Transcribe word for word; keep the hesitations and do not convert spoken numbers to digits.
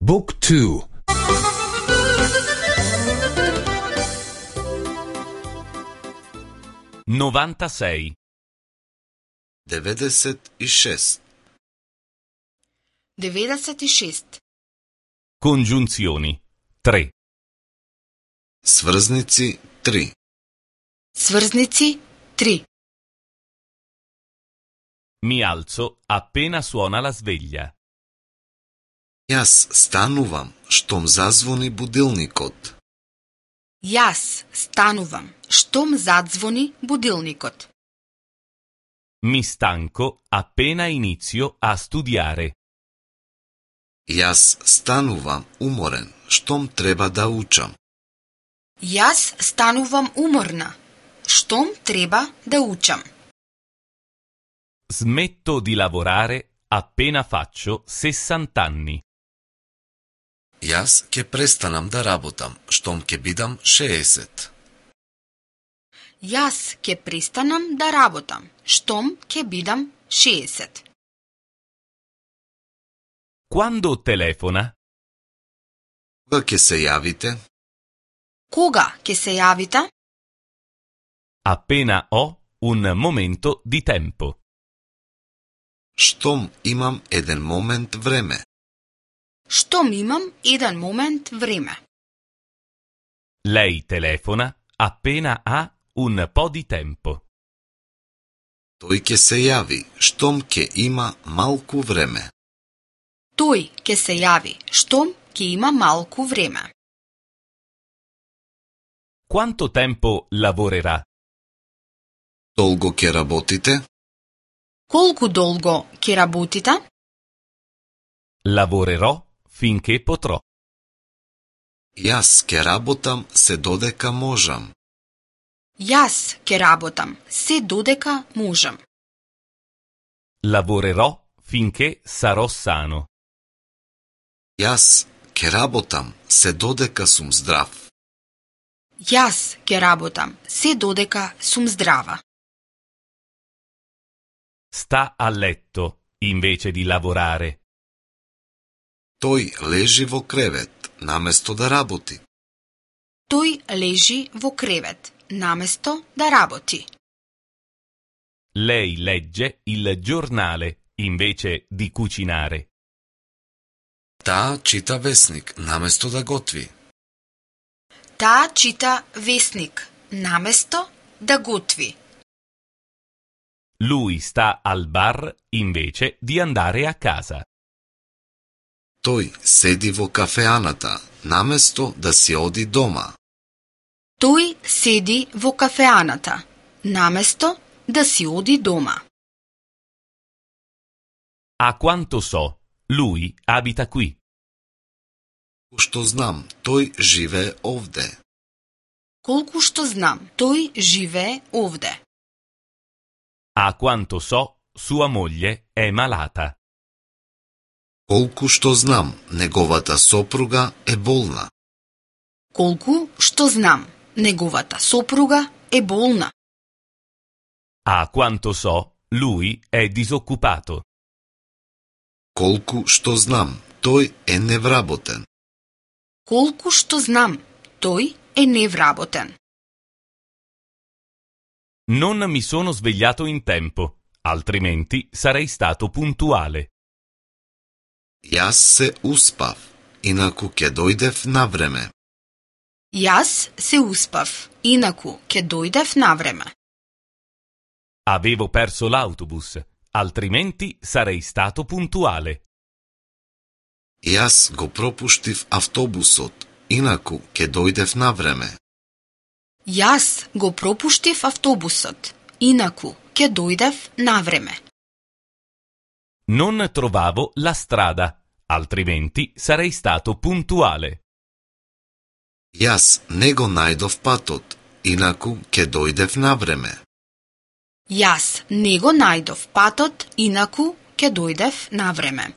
Book two. novantasei. деветдесет и шест. деветдесет и шест. Congiunzioni. tre. Сврзници три. Сврзници три. Mi alzo appena suona la sveglia. Јас станувам штом зазвони будилникот. Јас станувам штом задзвони будилникот. Mi stanco appena inizio a studiare. Јас станувам уморен штом треба да учам. Јас станувам уморна штом треба да учам. Smetto di lavorare appena faccio sessanta anni. Јас ќе престанам да работам штом ќе бидам шеесет. Јас ќе престанам да работам штом ќе бидам шеесет. Quando telefona? Кога ќе се јавите? Кога ќе се јавите? Appena ho un momento di tempo. Штом имам еден момент време. Штом имам еден момент време. Lei telefona appena ha un po' di tempo. Тој ќе се јави штом ќе има малку време. Тој ќе се јави штом ќе има малку време. Quanto tempo lavorerà? Долго ќе работите? Колку долго ќе работите? Lavorerò finché potrò. Јас ќе работам се додека можам. Јас ќе работам се додека можам. Lavorerò finché sarò sano. Јас ќе работам се dodeka сум здрав. Јас ќе работам се додека сум здрава. Sta a letto invece di lavorare. Тој лежи во кревет наместо да работи. Тој лежи во кревет наместо да работи. Lei legge il giornale invece di cucinare. Таа чита весник наместо да готви. Таа чита весник наместо да готви. Lui sta al bar invece di andare a casa. Тој седи во кафеаната наместо да си оди дома. Тој седи во кафеаната наместо да си оди дома. A quanto so, lui abita qui. Што знам, тој живее овде. Колку што знам, тој живее овде. A quanto so, sua moglie è malata. Колку што знам, неговата сопруга е болна. Колку што знам, неговата сопруга е болна. A quanto so, lui è disoccupato. Колку што знам, тој е невработен. Колку што знам, тој е невработен. Non mi sono svegliato in tempo, altrimenti sarei stato puntuale. Јас се успав, инаку ќе дојдев на време. Јас се успав, инаку ќе дојдев на време. Avevo perso l'autobus, altrimenti sarei stato puntuale. Јас го пропуштив автобусот, инаку ќе дојдев на време. Јас го пропуштив автобусот, инаку ќе дојдев на време. Non trovavo la strada, altrimenti sarei stato puntuale. Јас не го најдов патот, инаку ќе дојдев на време. Јас не го најдов патот, инаку ќе дојдев на време.